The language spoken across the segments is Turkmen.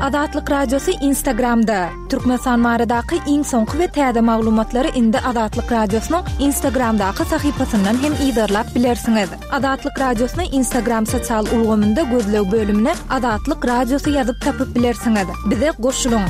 Azatlyk Radiosy Instagramda! Türkmenistan baradaky iň soňky we täze maglumatlary indi Azatlyk Radiosynyň Instagramdaky sahypasyndan hem yzarlap bilersiňiz. Azatlyk Radiosyny Instagram sosial ulgamynda gözleg bölümine Azatlyk Radiosy ýazyp tapyp bilersiňiz. Bize goşulyň!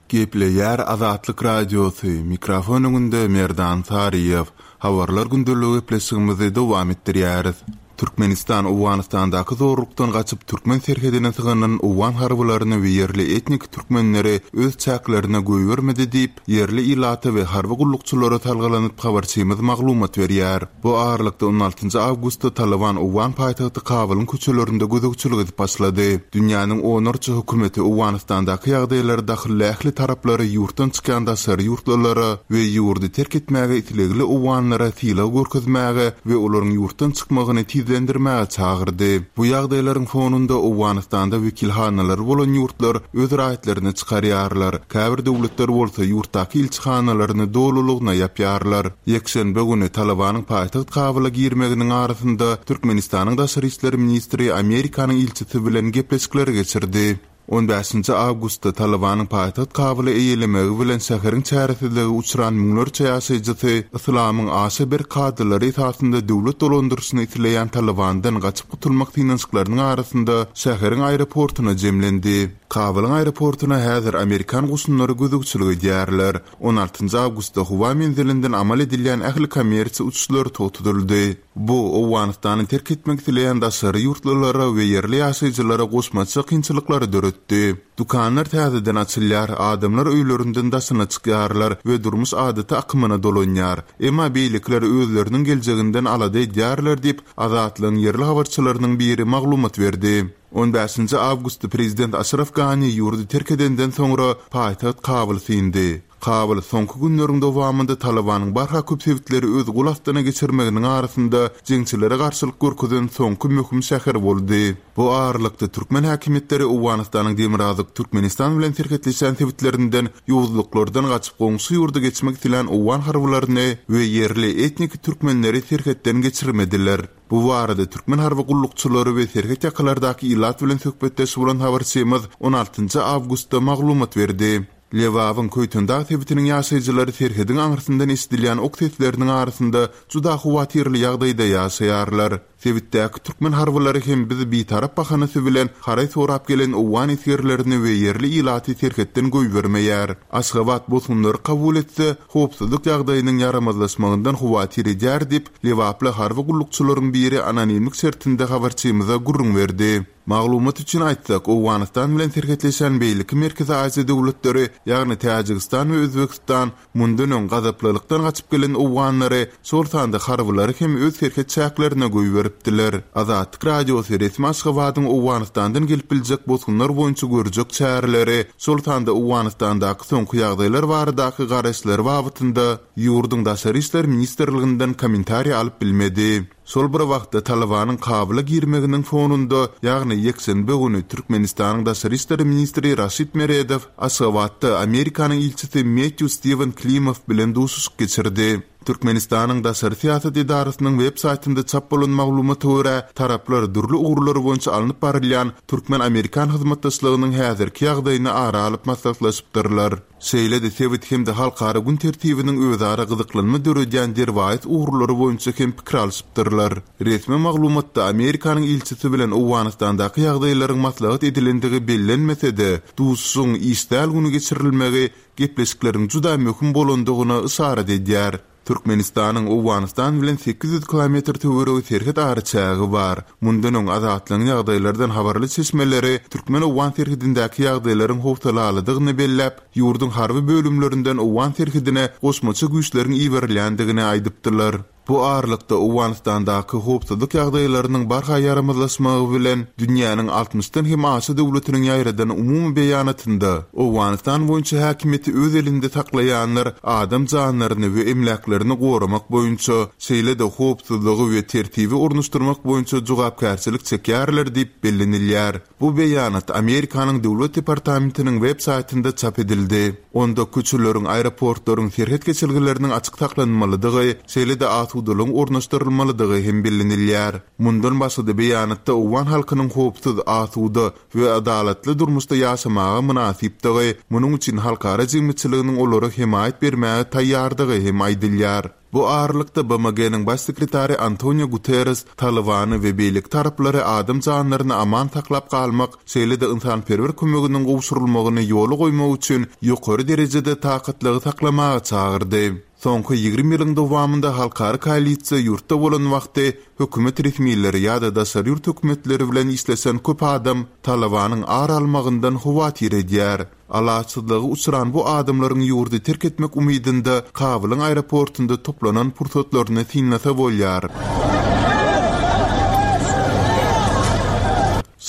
Gepleýär Azatlyk Radiosy, mikrofon öňünde Merdan Saryýew. Habarlar gündeligi gepleşigimizi dowam etdirýäris. Türkmenistan Owganystandaky zorlukdan gaçyp türkmen serhedine sygynan owgan harbylaryny we ýerli etnik türkmenleri öz çäklerine goýbermedi diýip, ýerli ilata we harby gullukçylara salgylanyp habarçymyz maglumat berýär. Bu aralykda on altynjy awgustda Talyban owgan paýtagty Kabulyň köçelerinde gözegçilik edip başlady. Dünýäniň onlarça hökümeti Owganystandaky ýagdaýlara dahylly ähli taraplary ýurtdan çykýan daşary ýurtlulara we ýurdy terk etmäge islegli owganlara sylag görkezmäge we olaryň ýurtdan çykmagyny tizlendirmäge çagyrdy. Bu ýagdaýlaryň fonunda Owganystanda wekilhanalary bolan ýurtlar öz raýatlaryny çykarýarlar, käbir döwletler bolsa ýurtdaky ilçihanalaryny dolulygyna ýapýarlar. Ýekşenbe güni Talybanyň paýtagt Kabula girmeginiň arasynda Türkmenistanyň daşary işler ministri Amerikanyň ilçisi bilen gepleşikleri geçirdi. On bäşinji awgustda Talybanyň paýtagt Kabuly eýelemegi bilen şäheriň çäresizlige uçran müňlerçe ýaşaýjysy yslamyň aşa berk kadalary esasynda döwlet dolandyryşyny isleýän Talybandan gaçyp gutulmak synanyşyklarynyň arasynda şäheriň aeroportuna jemlendi. Kabulyň aeroportuna häzir amerikan goşunlary gözegçilik edýärler. On altynjy awgustda howa menzilinden amal edilýän ähli kommersiýa uçuşlary togtadyldy. Bu, Owganystany terk etmek isleýän daşary ýurtlulara we ýerli ýaşaýjylara goşmaça kynçylyklary döretdi. Dükanlar täzeden açylýar, adamlar öýlerinden daşyna çykýarlar we durmuş adaty akymyna dolanýar. Emma beýlekiler özleriniň geljeginden alada edýärler diýip, Azatlygyň ýerli habarçylarynyň biri maglumat berdi. On bäşinji awgustda prezident Aşraf Gani ýurdy terk edenden soňra paýtagt Kabul syndy. Kabul soňky günleriň dowamynda Talybanyň barha köp sebitleri öz gol astyna geçirmeginiň arasynda jeňçilere garşylyk görkezen soňky möhüm şäher boldy. Bu aralykda türkmen häkimiýetleri Owganystanyň demirgazyk Türkmenistan bilen serhetleşýän sebitlerinden ýowuzlyklardan gaçyp goňşy ýurda geçmek islän owgan harbylaryny we ýerli etniki türkmenleri serhetden geçirmediler. Bu barada türkmen harby gullukçylary we serhet ýakalardaky ilat bilen söhbetdeş bolan habarçymyz on altynjy awgustda maglumat berdi. Lebabyň Köýtendag sebitiniň ýaşaýjylary serhediň aňyrsyndan eşidilýän ok sesleriniň arasynda juda howatyrly ýagdaýda ýaşaýarlar. Sebitdäki türkmen harbylary hem biz bitarap bahanasy bilen haraý sorap gelen owgan esgerlerini we ýerli ilaty serhetden goýbermeýär. Aşgabat bosgunlary kabul etse, howpsuzlyk ýagdaýynyň ýaramazlaşmagyndan howatyr edýär diýip, Lebaply harby gullukçylaryň biri anonimlik şertinde habarçymyza gürrüň berdi. Maglumat üçin aýtsak, Owganystan bilen serhetleşen beýleki Merkezi Aziýa döwletleri, ýagny Täjigistan we Özbegistan mundan öň gazaplylykdan gaçyp gelen owganlary, şol sanda harbylary hem öz serhet çäklerine goýberipdiler. Azatlyk Radiosy resmi Aşgabadyň Owganystandan gelip biljek bosgunlar boýunça görjek çäreleri, şol sanda Owganystandaky soňky ýagdaýlar baradaky garaýyşlary babatynda Ýurduň Daşary işler ministrliginden kommentariý alyp bilmedi. Şol bir wagtda, Talybanyň Kabula girmeginiň fonunda, ýagny ýekşenbe güni Türkmenistanyň daşary işler ministri Raşid Meredow Aşgabatda Amerikanyň ilçisi Mettýu Stiwen Klimow bilen duşuşyk geçirdi. Türkmenistanyň daşary syýasat edarasynyň web saýtynda çap bolan maglumata görä, taraplar dürli ugurlar boýunça alnyp barylýan türkmen-amerikan hyzmatdaşlygynyň häzirki ýagdaýyny ara alyp maslahatlaşypdyrlar. Şeýle-de sebit hem-de halkara gün tertibiniň özara gyzyklanma döredýän derwaýys ugurlary boýunça hem pikir alşypdyrlar. Resmi maglumatda Amerikanyň ilçisi bilen Owganystandaky ýagdaýlaryň maslahat edilendigi bellenmese-de, duşuşygyň iş däl güni geçirilmegi gepleşikleriň juda möhüm bolandygyna yşarat edýär. Türkmenistanyň Owganystan bilen 800 kilometr töweregi serhet araçägi bar. Mundan öň Azatlygyň ýagdaýlardan habarly çeşmeleri türkmen-owgan serhedindäki ýagdaýlaryň howsalalydygyny belläp, ýurduň harby bölümlerinden owgan serhedine goşmaça güýçleriň iberilýändigini aýdypdylar. Bu aralykda, Owganystandaky howpsuzlyk ýagdaýlarynyň barha ýaramazlaşmagy bilen, dünýäniň altmyşdan hem aşa döwletiniň ýaýradan umumy beýanatynda, Owganystan boýunça häkimiýeti öz elinde saklaýanlar adam janlaryny we emläklerini goramak boýunça, şeýle-de howpsuzlygy we tertibi ornaşdyrmak boýunça jogapkärçilik çekýärler diýip bellenilýär. Bu beýanat Amerikanyň Döwlet departamentiniň web saýtynda çap edildi. Onda köçeleriň, aeroportlaryň, serhet geçelgeleriniň açyk saklanmalydygy, şeýle-de. asudalygyň ornaşdyrylmalydygy hem bellenilýär. Mundan başga-da beýanatda owgan halkynyň howpsuz, asuda we adalatly durmuşda ýaşamaga mynasypdygy, munuň üçin halkara jemgyýetçiliginiň olara hemaýat bermäge taýýardygy hem aýdylýar. Bu aralykda, BMG-niň Baş sekretary Antonio Guterres Talybany we beýleki taraplary adam janlaryny aman saklap galmak, şeýle-de ynsanperwer kömeginiň gowşurylmagyny ýola goýmak üçin ýokary derejede takatlygy saklamaga çagyrdy. Soňky 20 ýylyň dowamynda halkara koalisiýa ýurtda bolan wagty hökümet resmileri ýa-da daşary ýurt hökümetleri bilen işleşen köp adam Talybanyň ar almagyndan howatyr edýär. Alaçsyzlyga uçran bu adamlaryň ýurdy terk etmek umydynda Kabulyň aeroportunda toplanan pursatlaryny synlasa bolýar.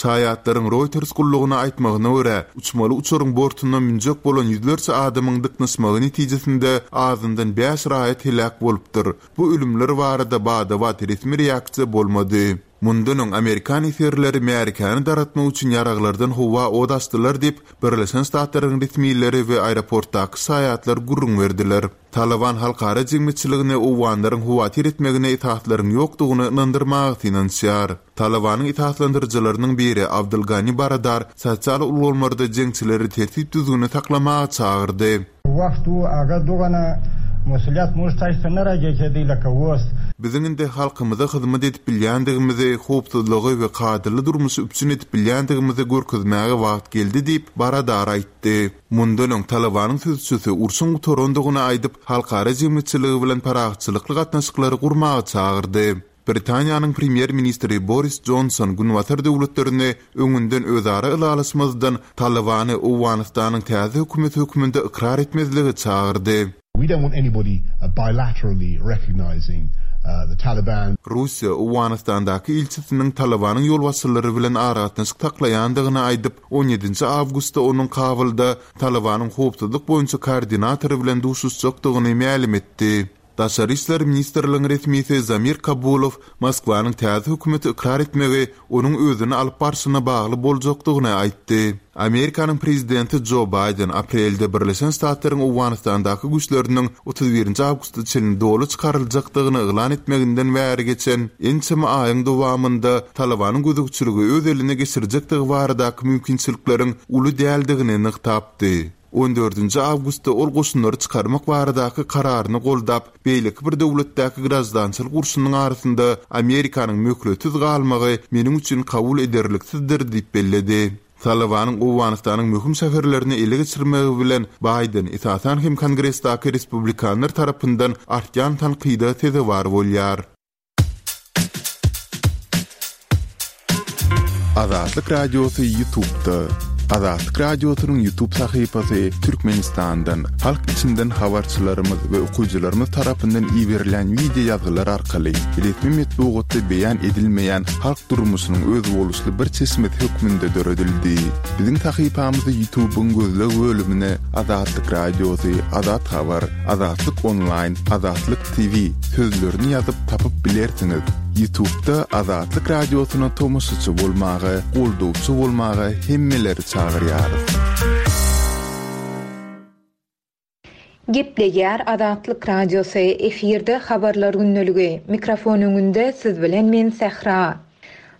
Şaýatlaryň Reuters gullugyna aýtmagyna görä, uçmaly uçaryň bortuna münjek bolan ýüzlerçe adamyň dyknyşmagy netijesinde azyndan bäş raýat heläk bolupdyr. Bu ölümler barada bada-bat resmi reaksiýa bolmady. Mundan öň amerikan esgerleri märekäni dargatmak üçin ýaraglardan howa ot açdylar diýip, Birleşen Ştatlaryň resmileri we aeroportdaky şaýatlar gürrüň berdiler. Talyban halkara jemgyýetçiligini owganlaryň howatyr etmegine esaslaryň ýokdugyny ynandyrmaga synanyşýar. Talybanyň esaslandyryjylarynyň biri Abdul Gani Baradar sosial ulgamlarda jeňçileri tertip-düzgüni saklamaga çagyrdy. Wagt u aga dogana musulyat muž taýsa nara gejedi laka wos. Biziň indi halkymyza hyzmat edip bilýändigimizi, howpsuzlygy we kadaly durmuşy üpjün edip bilýändigimizi görkezmäge wagt geldi diýip, Baradar aýtdy. Mundan öň Talybanyň sözçüsi urşuň gutarandygyny aýdyp, halkara jemgyýetçiligi bilen parahatçylykly gatnaşyklary gurmaga çagyrdy. Britaniýanyň premýer-ministri Boris Jonson Günbatar döwletlerini öňünden özara ylalaşmazdan Talybany Owganystanyň täze hökümeti hökmünde ykrar etmezlige çagyrdy. We don't want anybody bilaterally recognising the Taliban. Russiýa Owganystandaky ilçisiniň Talybanyň ýolbaşçylary bilen aragatnaşyk saklaýandygyny aýdyp, on ýedinji awgustda onuň Kabulda Talybanyň howpsuzlyk boýunça koordinatory bilen duşuşjakdygyny mälim etdi. Daşary işler ministrligiň resmisi Zamir Kabulow Moskwanyň täze hökümeti ykrar etmegi onuň özüni alyp barşyna bagly boljakdygyny aýtdy. Amerikanyň prezidenti Jo Baýden aprelde Birleşen Ştatlaryň Owganystandaky güýçleriniň 31 nji awgusta çenli doly çykaryljakdygyny yglan etmeginden bäri geçen ençeme aýyň dowamynda Talybanyň gözegçiligi öz eline geçirjekdigi baradaky mümkinçilikleriň uly däldigini nygtapdy. On dördünji awgustda ol goşunlary çykarmak baradaky kararyny goldap, beýleki bir döwletdäki graždançylyk urşunyň arasynda Amerikanyň möhletsiz galmagy meniň üçin kabul ederliksizdir diýip belledi. Talybanyň Owganystanyň möhüm şäherlerini ele geçirmegi bilen Baýden, esasan hem Kongresdäki respublikanlar tarapyndan artýan tankyda sezewar bolýar. Azatlyk Radiosy Ýutubda. Azatlyk Radiosynyň Ýutub sahypasy Türkmenistandan, halk içinden habarçylarymyz we okyjylarymyz tarapyndan iberilen wideo ýazgylar arkaly resmi metbugatda beýan edilmeýän halk durmuşynyň özboluşly bir çeşmesi hökmünde döredildi. Biziň sahypamyzy Ýutubyň gözleg bölümine Azatlyk Radiosy, Azat Habar, Azatlyk Onlaýn, Azatlyk TV sözlerini ýazyp tapyp bilersiňiz. Ýutubda Azatlyk Radiosyna tomaşaçy bolmaga, goldawçy bolmaga hemmeleri çagyrýarys. Gepleýär Azatlyk Radiosy, efirde Habarlar gündeligi. Mikrofon öňünde siz bilen men Sähra.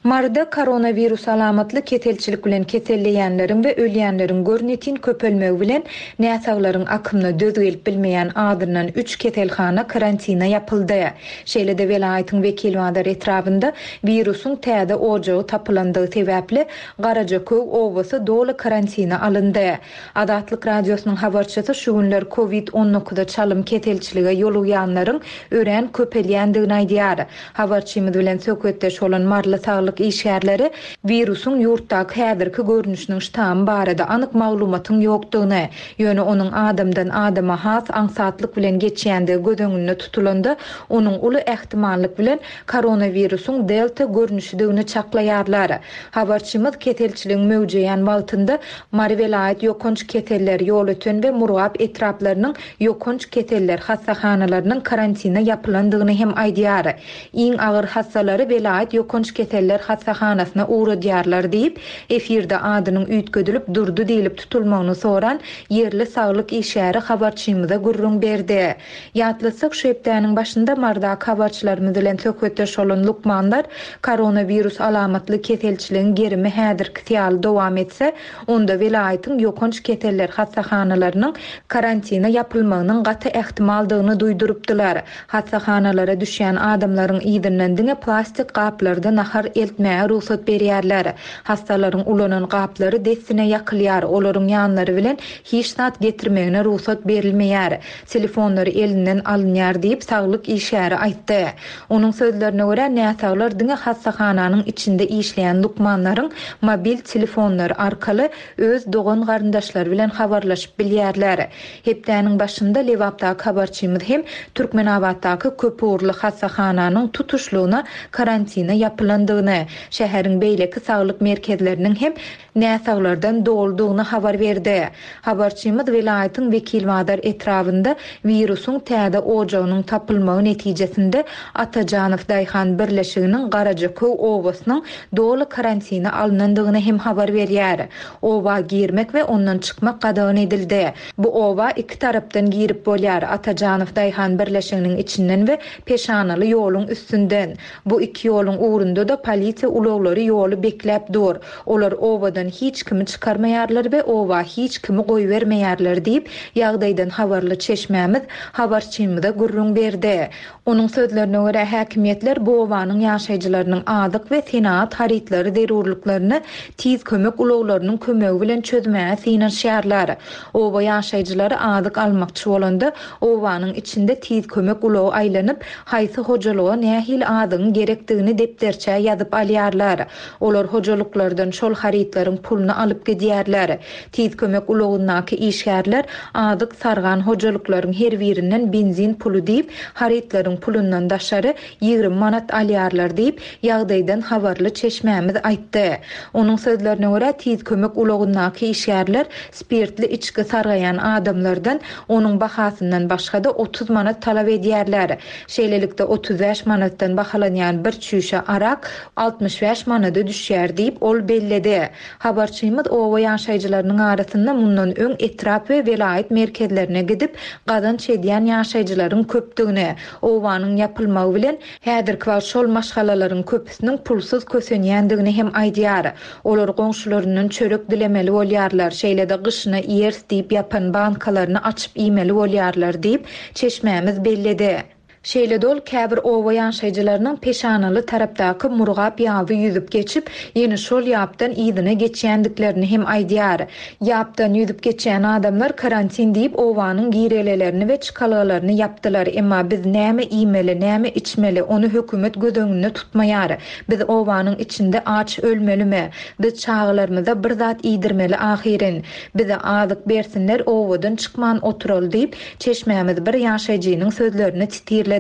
Maryda koronawirus alamatly keselçilik bilen keselleýänleriň we ölýänleriň görnetin köpelmegi bilen, näsaglaryň akymyna döz gelip bilmeýän azyndan üç keselhana karantina ýapyldy. Şeýle-de welaýatyň Wekilbazar etrabynda wirusyň täze ojagy tapylandygy sebäpli, Garajaköw obasy doly karantina alyndy. Azatlyk Radiosynyň habarçysy şu günler Covid on dokuza çalym keselçilige ýolugýanlaryň örän köpelýändigini aýdýar. Habarçymyz bilen söhbetdeş bolan maryly saglyk işgärleri wirusyň ýurtdaky häzirki görnüşiniň ştamy barada anyk maglumatyň ýokdugyny, ýöne onuň adamdan adama has aňsatlyk bilen geçýändigi göz öňünde tutulanda, onuň uly ähtimallyk bilen koronawirusyň delta görnüşidigini çaklaýarlar. Habarçymyz keselçiligiň möwjeýän wagtynda Mary welaýat ýokanç keseller, Ýolöten we Murgap etraplarynyň ýokanç keseller hassahanalarynyň karantina ýapylandygyny hem aýdýar. Iň agyr hassalary welaýat ýokanç keseller. hassahanasyna ugradýarlar diýip, efirde adynyň üýtgedilip Durdy diýlip tutulmagyny soran ýerli saglyk işgäri habarçymyza gürrüň berdi. Ýatlatsak, şu hepdäniň başynda Marydaky habarçylarymyz bilen söhbetdeş bolan lukmanlar koronawirus alamatly keselçiligiň gerimi häzirkisi ýaly dowam etse, onda welaýatyň ýokanç keseller hassahanalarynyň karantina ýapylmagynyň gaty ähtimaldygyny duýdurypdylar. Hassahanalara düşýän adamlaryň yzyndan diňe plastik gaplarda nahar eltmäge rugsat berýärler. Hassalaryň ulanan gaplary dessine ýakylýar, olaryň ýanlary bilen hiç zat getirmegine rugsat berilmeýär. Telefonlary elinden alynýar diýip, saglyk işgäri aýtdy. Onuň sözlerine görä, näsaglar diňe hassahananyň içinde işleýän lukmanlaryň mobil telefonlary arkaly öz dogan-garyndaşlary bilen habarlaşyp bilýärler. Hepdäniň başynda Lebapdaky habarçymyz hem Türkmenabatdaky köpugurly hassahananyň tutuşlygyna karantina ýapylandygyny, şäheriň beýleki saglyk merkezleriniň hem näsaglardan doludygyny habar berdi. Habarçymyz welaýatyň Wekilbazar etrabynda wirusyň täze ojagynyň tapylmagy netijesinde Atajanow daýhan birleşiginiň Garajaköw obasynyň doly karantina alnandygyny hem habar berýär. Oba girmek we ondan çykmak gadagan edildi. Bu oba iki tarapdan girip bolýar, Atajanow daýhan birleşiginiň içinden we Peşanaly ýoluň üstünden. Bu iki ýoluň ugrunda-da polisiýa ulaglary ýoly bekläp dur. Olar obadan hiç kimi çykarmaýarlar we oba hiç kimi goýbermeýärler diýip, ýagdaýdan habarly çeşmämiz habarçymyza gürrüň berdi. Onuň sözlerine görä, häkimiýetler bu obanyň ýaşaýjylarynyň azyk we senagat harytlary zerurlyklaryny tiz kömek ulaglarynyň kömegi bilen çözmäge synanyşýarlar. Oba ýaşaýjylary azyk almakçy bolanda, obanyň içinde tiz kömek ulagy aýlanyp, haýsy hojalyga nähili azygyň gerekdigini depderçä ýazyp alýarlar. Olar hojalyklardan şol harytlaryň puluny alyp gidýärler. Tiz kömek ulagyndaky işgärler azyk sargan hojalyklaryň her birinden benzin puly diýip, harytlaryň pulundan daşary 20 manat alýarlar diýip, ýagdaýdan habarly çeşmämiz aýtdy. Onuň sözlerine görä, tiz kömek ulagyndaky işgärler spirtli içgi sargaýan adamlardan onuň bahasyndan başga-da 30 manat talap edýärler. Şeýlelikde, 35 manatdan bahalanýan bir çüýşe arak 65 manada düşýär diýip, ol belledi. Habarçymyz oba ýaşaýjylarynyň arasynda mundan öň etrap we welaýat merkezlerine gidip, gazanç edýän ýaşaýjylaryň köpdügini, obanyň ýapylmagy bilen, häzirki wagt şol maşgalalaryň köpüsiniň pulsuz kösenýändigini hem aýdýar. Olar goňşularyndan çörek dilemeli bolýarlar, şeýle-de gyşyna iýeris diýip ýapan bankalaryny açyp iýmeli bolýarlar diýip, çeşmämiz belledi. Şeýle-de ol käbir oba ýaşaýjylarynyň Peşanaly tarapdaky Murgap ýaby ýüzüp geçip, ýene şol ýapdan yzyna geçýändiklerini hem aýdýar. Ýapdan ýüzüp geçýän adamlar karantin diýip obanyň girelelerini we çykalgalaryny ýapdylar, emma biz näme iýmeli, näme içmeli, ony hökümet göz öňünde tutmaýar. Biz obanyň içinde aç ölmelimi? Biz çagalarymyza bir zat iýdirmeli ahyryn. Bize azyk bersinler obadan çykman oturaly diýip, Çeşmämiz bir ýaşaýjynyň sözlerini titirledi.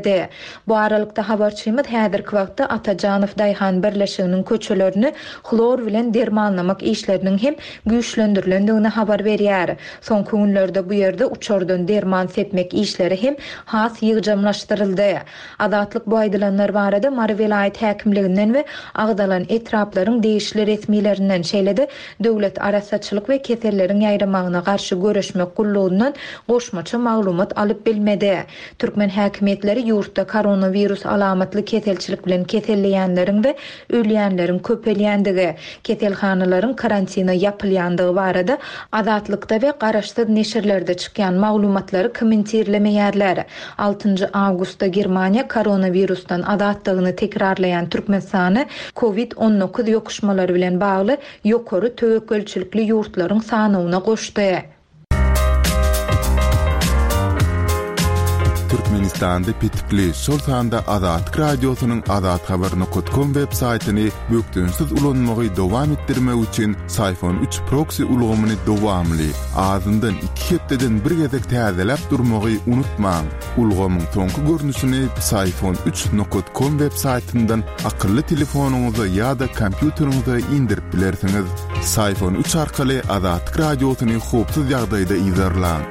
Bu aralykda habarçymyz häzirki wagtda Atajanow daýhan birleşiginiň köçelerini hlor bilen dermanlamak işleriniň hem güýçlendirilendigini habar berýär. Soňky günlerde bu ýerde uçardan derman sepmek işleri hem has ýygjamlaşdyryldy. Azatlyk bu aýdylanlar barada Mary welaýat häkimliginden we agzalan etraplaryň degişli resmilerinden, şeýle-de Döwlet arassaçylyk we keselleriň ýaýramagyna garşy göreşmek gullugyndan goşmaça maglumat alyp bilmedi. Türkmen häkimiýetleri ýurtda koronawirus alamatly keselçilik bilen keselleýänleriň we ölýänleriň köpelýändigi, keselhanalaryň karantina ýapylýandygy barada Azatlykda we garaşsyz neşirlerde çykýan maglumatlary kommentirlemeýärler. Altynjy awgustda Germaniýa koronawirusdan azatdygyny tekrarlaýan Türkmenistany Covid 19 ýokuşmalary bilen bagly ýokary töwekgelçilikli ýurtlaryň sanawyna goşdy. Türkmenistanda petikli, şol sanda Azatlyk Radiosynyň azathabar nokat kom web saýtyny bökdençsiz ulanmagy dowam etdirmek üçin Syfon üç proksi ulgamyny dowamly, azyndan iki hepdeden bir gezek täzeläp durmagy unutmaň. Ulgamyň soňky görnüşini Psiphon üç nokat kom web saýtyndan akylly telefonyňyza ýa-da kompýuteriňize indirip bilersiňiz. Psiphon üç arkaly Azatlyk Radiosyny howpsuz ýagdaýda yzarlaň.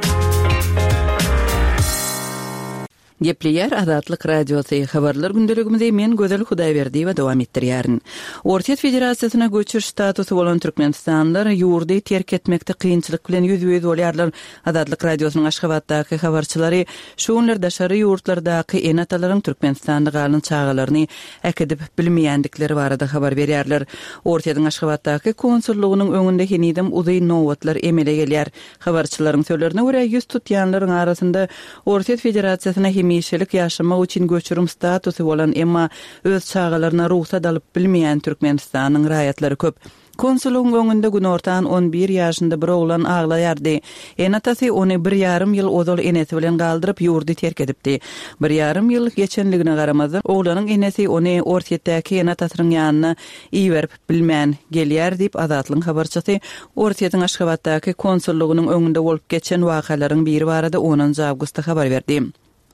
Gepleýär Azatlyk Radiosy, Habarlar gündeligimizi men Gözel Hudaýberdiýewa dowam etdirýärin. Orsýet Federasiýasyna göçüş statusy bolan türkmenistanlylar ýurdy terk etmekde kynçylyk bilen ýüzbe-ýüz bolýarlar. Azatlyk Radiosynyň Aşgabatdaky habarçylary şu günler daşary ýurtlardaky ene-atalaryň Türkmenistanda galan çagalaryny äkidip bilmeýändikleri barada habar berýärler. Orsýetiň Aşgabatdaky konsullygynyň öňünde henizem uzyn nobatlar emele gelýär. Habarçylaryň sözlerine görä, 100 tutýanlaryň arasynda Orsýet Federasiýasyna hemişelik ýaşamak üçin göçürim statusy bolan, emma öz çagalaryna rugsat alyp bilmeýän Türkmenistanyň raýatlary köp. Konsullygyň öňünde günortan on bir ýaşynda bir oglan aglaýardy. Ene-atasy ony bir ýarym ýyl ozal enesi bilen galdyryp, ýurdy terk edipdi. Bir ýarym ýyl geçenligine garamazdan, oglanyň enesi ony Orsýetdäki ene-atasynyň ýanyna iberip bilmän gelýär diýip, Azatlygyň habarçysy Orsýetiň Aşgabatdaky konsullygynyň öňünde bolup geçen wakalaryň biri barada onunjy awgustda habar berdi.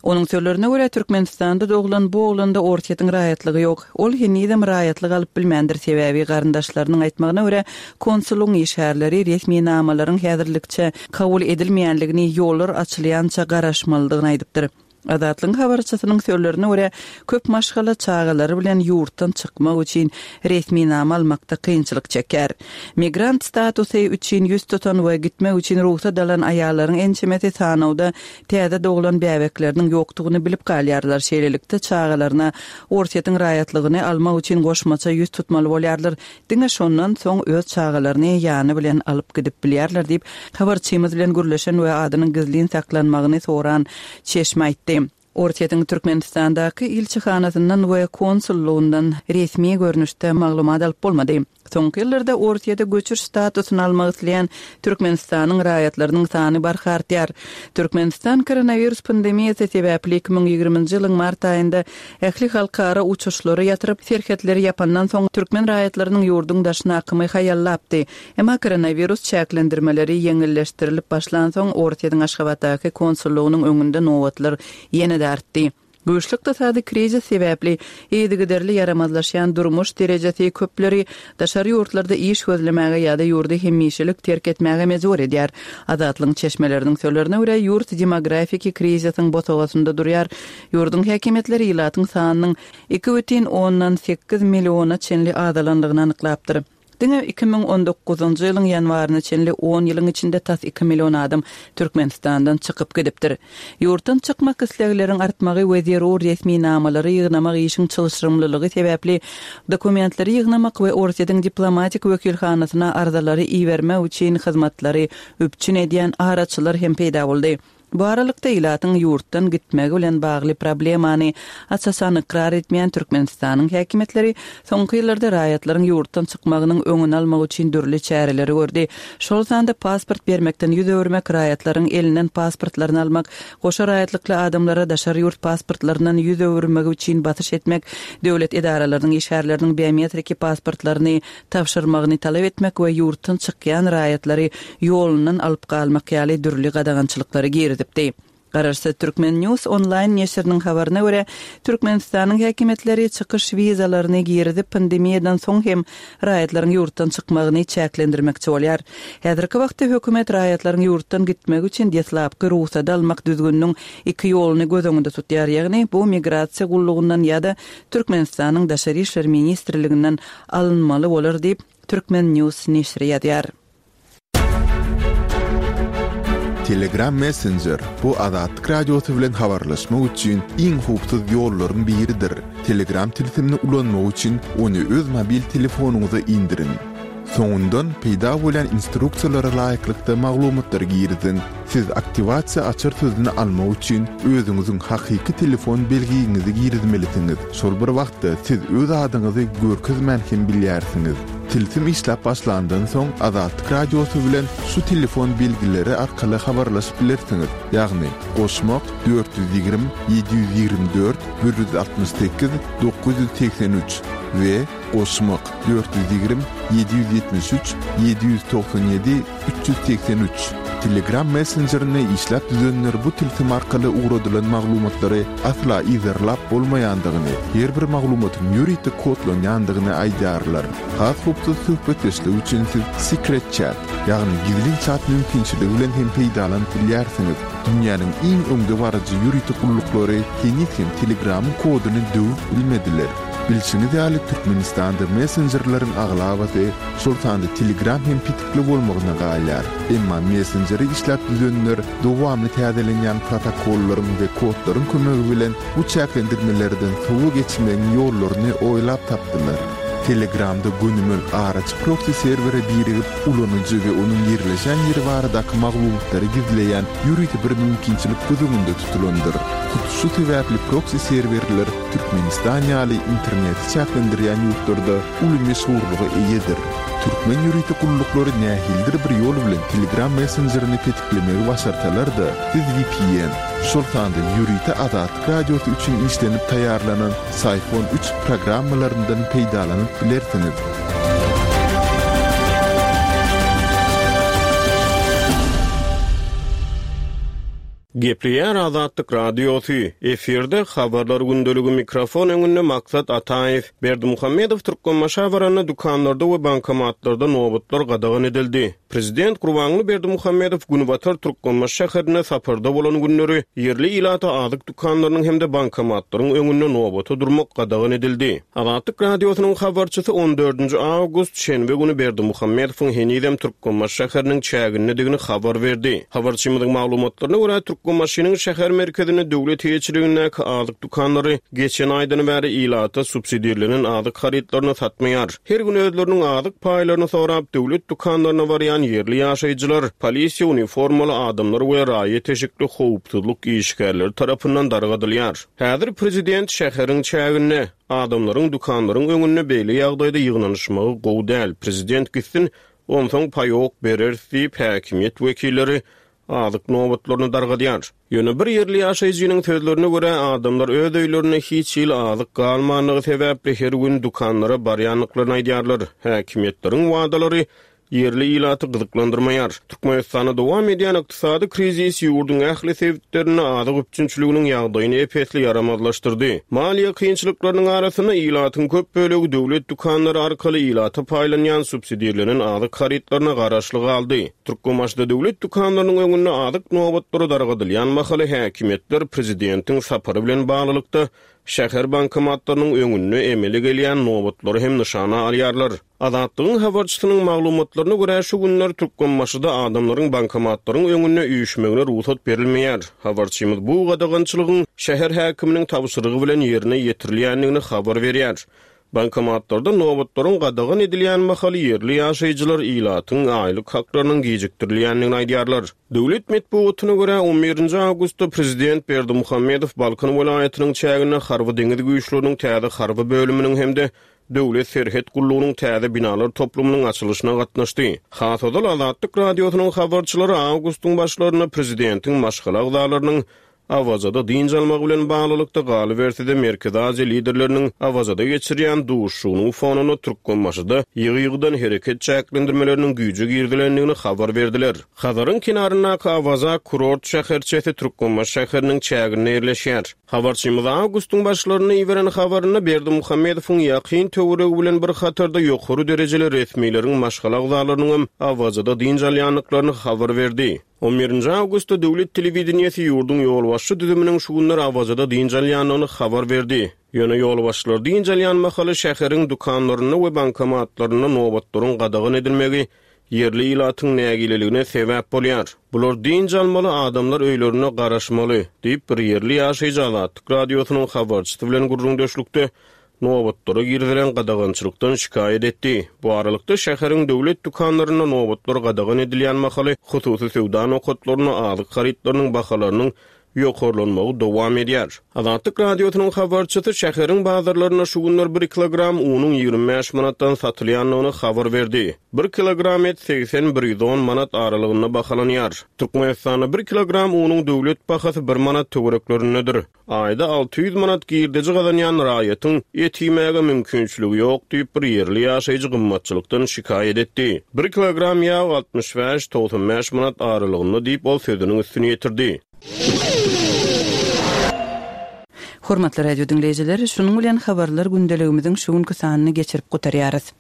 Onuň sözlerine görä, Türkmenistanda doglan bu oglanda Orsýetiň raýatlygy ýok. Ol henizem raýatlyk alyp bilmändir, sebäbi garyndaşlarynyň aýtmagyna görä, konsullygyň işgärleri resminamalaryň häzirlikçe kabul edilmeýänligini, ýollar açylýança garaşmalydygyny aýdypdyr. Azatlygyň habarçysynyň sözlerine görä, köp maşgala çagalary bilen ýurtdan çykmak üçin resminama almakda kynçylyk çekýär. Migrant statusy üçin 100 tutan we gitmek üçin rugsat alan aýallaryň ençemesi sanawda täze doglan bäbekleriniň ýokdugyny bilip galýarlar, şeýlelikde çagalaryna Orsýetiň raýatlygyny almak üçin goşmaça 100 tutmaly bolýarlar, Diňe şondan soň öz çagalaryny ýany bilen alyp gidip bilýärler diýip, habarçymyz bilen gürleşen we adynyň gizlin saklanmagyny soran çeşme aýtdy. Orsýetiň Türkmenistandaky ilçihanasyndan we konsullygyndan resmi görnüşde maglumat alyp bolmady. Soňky ýyllarda Orsýete göçüş statusyny almak isleýän Türkmenistanyň raýatlarynyň sany barha artýar. Türkmenistan koronawirus pandemiýasy sebäpli 2020-nji ýylyň mart aýynda ähli halkara uçuşlary ýatyryp, serhetleri ýapandan soň türkmen raýatlarynyň ýurduň daşyna akymy haýallapdy. Emma koronawirus çäklendirmeleri ýeňilleşdirilip başlansoň, Orsýetiň Aşgabatdaky konsullygynyň öňünde nobatlar ýene-de artdy. Güýçli ykdysady krizis sebäpli yzygiderli ýaramazlaşýan durmuş derejesi köpleri daşary ýurtlarda iş gözlemäge ýa-da ýurdy hemişelik terk etmäge mejbur edýär. Azatlygyň çeşmeleriniň sözlerine görä, ýurt demografiki krizisiň bosagasynda durýar. Ýurduň häkimiýetleri ilatyň sanynyň 2,8 milliona çenli azalandygyny anyklapdyr. Diňe 2019-njy ýylyň ýanwaryna çenli on ýylyň içinde tas iki million adam Türkmenistandan çykyp gidipdir. Ýurtdan çykmak islegleriň artmagy we zerur resminamalary ýygnamak işiň çylşyrymlylygy sebäpli dokumentleri ýygnamak we Orsýetiň diplomatik wekilhanasyna arzalary ibermek üçin hyzmatlary üpjün edýän araçylar hem peýda boldy. Bu aralykda, ilatyň ýurtdan gitmegi bilen bagly problemany aç-açan ykrar etmeýän Türkmenistanyň häkimiýetleri soňky ýyllarda raýatlaryň ýurtdan çykmagynyň öňüni almak üçin dürli çäreleri gördi. Şol sanda pasport bermekden 100 öwürmek, raýatlaryň elinden pasportlaryny almak, goşa raýatlykly adamlara daşary ýurt pasportlaryndan 100 öwürmegi üçin basyş etmek, döwlet edaralarynyň işgärleriniň biometriki pasportlaryny tabşyrmagyny talap etmek we ýurtdan çykýan raýatlary ýolundan alyp galmak ýaly dürli gadagançylyklary girizipdi. Garaşsyz Turkmen News onlaýn neşiriniň habaryna görä, Türkmenistanyň häkimiýetleri çykyş wizalaryny girizip, pandemiýadan soň hem raýatlaryň ýurtdan çykmagyny çäklendirmekçi bolýar. Häzirki wagtda hökümet raýatlaryň ýurtdan gitmegi üçin deslapky rugsady almak düzgüniniň iki ýoluny göz öňünde tutýar, ýagny bu migrasiýa gullugyndan ýa-da Türkmenistanyň Daşary işler ministrliginden alynmaly bolar diýip, Turkmen News neşiri ýazýar. Telegram Messenger, bu Azatlyk Radiosy bilen habarlaşmak üçin iň howpsuz ýollaryň biridir. Telegram tilsimini ulanmak üçin ony öz mobil telefonyňyza indiriň. Soňundan peýda bolýan instruksiýalara laýyklykda maglumatlary giriziň. Siz aktiwasiýa açar sözüni almak üçin özüňiziň hakyky telefon belgiňizi girizmelisiňiz. Şol bir wagtda siz öz adyňyzy görkezmän hem bilýärsiňiz. Tilsim işläp başlandan soň Azatlyk Radiosy bilen şu telefon belgileri arkaly habarlaşyp bilersiňiz, ýagny, goşmak, 420 724 168 983 we goşmak, 420 773 797 383. Telegram messenjerini işläp düzenler bu tilsim arkaly ugradylan maglumatlary asla yzarlap bolmaýandygyny, her bir maglumatyň ýörite kodlanýandygyny aýdýarlar. Has howpsuz söhbetdeşlik üçin siz Secret Chat, ýagny gizlin çat mümkinçiligi bilen hem peýdalanyp bilýärsiňiz. Dünýäniň iň öňdebaryjy ýörite gulluklary heniz hem Telegramyň koduny döwüp bilmediler. Bilşiňiz ýaly, Türkmenistanda messenjerleriň aglabasy, şol sanda Telegram hem petikli bolmagyna galýar. Emma messenjeri işläp düzenler dowamly täzelenýän protokollaryň we kodlaryň kömegi bilen bu çäklendirmelerden sowa geçmegiň ýollaryny oýlap tapdylar. Telegramda gönümel araçy proksi serwere birigip, ulanyjy we onuň ýerleşen ýeri baradaky maglumatlary gizleýän ýörite bir mümkinçilik göz öňünde tutulandyr. Hut şu sebäpli proksi serwerler Türkmenistan ýaly interneti çäklendirýän ýurtlarda uly meşhurlyga eýedir. Türkmen ýörite gulluklary nähilidir bir ýol bilen Telegram messenjerini petiklemegi başarsalar-da, siz vpn, şol sanda ýörite Azatlyk Radiosy üçin işlenip taýýarlanan Syphon üç programmalaryndan peýdalanyp bilersiňiz. Gepleýär Azatlyk Radiosy, efirde Habarlar gündeligi mikrofon öňünde Maksat Ataýew. Berdimuhamedow Türkmenbaşa baranda dükanlarda we bankomatlarda nobatlar gadagan edildi. Prezident Gurbanguly Berdimuhamedow günbatar Türkmenbaşy şäherinde saparda bolan günleri ýerli ilata azyk dükanlarynyň hem-de bankomatlaryň öňünde nobata durmak gadagan edildi. Azatlyk Radiosynyň habarçysy on dördünji awgust, şenbe güni Berdimuhamedowyň henizem Türkmenbaşy şäheriniň çägindedigini habar berdi. Habarçymyzyň maglumatlaryna görä, Türkmenbaşynyň şäher merkezinde döwlet eýeçiligindäki azyk dükanlary geçen aýdan bäri ilata subsidirlenen azyk harytlaryny satmaýar. Her gün özleriniň azyk paýlaryny sorap, döwlet dükanlaryna barýan ýerli ýaşaýjylar polisiýa uniformaly adamlar we raýat eşikli howpsuzlyk işgärleri tarapyndan dargadylýar. Häzir prezident şäheriň çäginde, adamlaryň dükanlaryň öňünde beýle ýagdaýda ýygnanyşmagy gowy däl, prezident gitsin, onsoň paýok bereris diýip, häkimiýet wekilleri azyk nobatlaryny dargadýar. Ýöne bir ýerli ýaşaýjynyň sözlerine görä, adamlar öz öýlerinde hiç hili azyk galmandygy sebäpli her gün dükanlara barýandyklaryny aýdýarlar. Häkimiýetleriň wadalary ýerli ilaty gyzyklandyrmaýar. Türkmenistanda dowam edýän ykdysady krizis ýurduň ähli sebitlerinde azyk üpjünçiliginiň ýagdaýyny ep-esli ýaramazlaşdyrdy. Maliýe kynçylyklarynyň arasynda ilatyň köp bölegi döwlet dükanlary arkaly ilata paýlanýan subsidirlenen azyk harytlaryna garaşly galdy. Türkmenbaşyda döwlet dükanlarynyň öňünde azyk nobatlary dargadylýan mahaly häkimiýetler prezidentiň sapary bilen baglylykda şäher bankomatlarynyň öňünde emele gelýän nobatlary hem nyşana alýarlar. Azatlygyň habarçysynyň maglumatlaryna görä, şu günler Türkmenbaşyda adamlaryň bankomatlaryň öňünde üýşmegine rugsat berilmeýär. Habarçymyz bu gadagançylygyň şäher häkiminiň tabşyrygy bilen ýerine ýetirilýändigini habar berýär. Bankomatlarda nobatlaryň gadagan edilýän mahaly ýerli ýaşaýjylar ilatyň aýlyk haklarynyň gijikdirilýändigini aýdýarlar. Döwlet metbugatyna görä, on birinji awgustda prezident Berdimuhamedow Balkan welaýatynyň çäginde Harby-deňiz güýçleriniň täze harby bölüminiň hem-de Döwlet serhet gullugynyň täze binalar toplumynyň açylyşyna gatnaşdy. Has ozal Azatlyk Radiosynyň habarçylary awgustyň başlarynda prezidentiň maşgala agzalarynyň Awazada dynç almagy bilen baglylykda, galyberse-de Merkezi Aziýa liderleriniň Awazada geçirýän duşuşygynyň fonunda Türkmenbaşyda ýygy-ýygydan hereket çäklendirmeleriniň güýje girizilendigini habar berdiler. Hazaryň kenaryndaky Awaza kurort şäherçesi Türkmenbaşy şäheriniň çäginde ýerleşýär. Habarçymyz awgustyň başlarynda iberen habarynda Berdimuhamedowyň ýakyn töweregi bilen bir hatarda ýokary derejeli resmileriň maşgala agzalarynyňam Awazada dynç alýandyklaryny habar berdi. On birinji awgustda döwlet telewideniýesi ýurduň ýolbaşçy düzüminiň şu günler Awazada dynç alýandygyny habar berdi. Ýöne ýolbaşçylar dynç alýan mahaly şäheriň dükanlarynda we bankomatlarynda nobatlaryň gadagan edilmegi ýerli ilatyň nägileligine sebäp bolýar. Bular dynç almaly, adamlar öýlerinde garaşmaly, diýip, bir ýerli ýaşaýjy Azatlyk Radiosynyň habarçysy bilen gürrüňdeşlikde nobatlara girizilen gadagançylykdan şikaýat etdi. Bu aralykda, şäheriň döwlet dükanlarynda nobatlar gadagan edilýän mahaly, hususy söwda nokatlarynda azyk harytlarynyň bahalarynyň. ýokarlanmagy dowam edýär. Azatlyk Radiosynyň habarçysy şäheriň bazarlarynda şu günler bir kilogram unuň 25 manatdan satylýandygyny habar berdi. Bir kilogram et 80, 110 manat aralygynda bahalanýar. Türkmenistanda bir kilogram unuň döwlet bahasy bir manat töwereklerindedir. Aýda 600 manat girdeji gazanýan raýatyň et iýmäge mümkinçiligi ýok diýip, bir ýerli ýaşaýjy gymmatçylykdan şikaýat etdi. Bir kilogram ýag 65, 95 manat aralygynda diýip, ol sözüniň üstüni ýetirdi. Hormatly radio diňleýjiler, şunuň bilen Habarlar gündeligimiziň şu günki sanyny geçirip gutarýarys.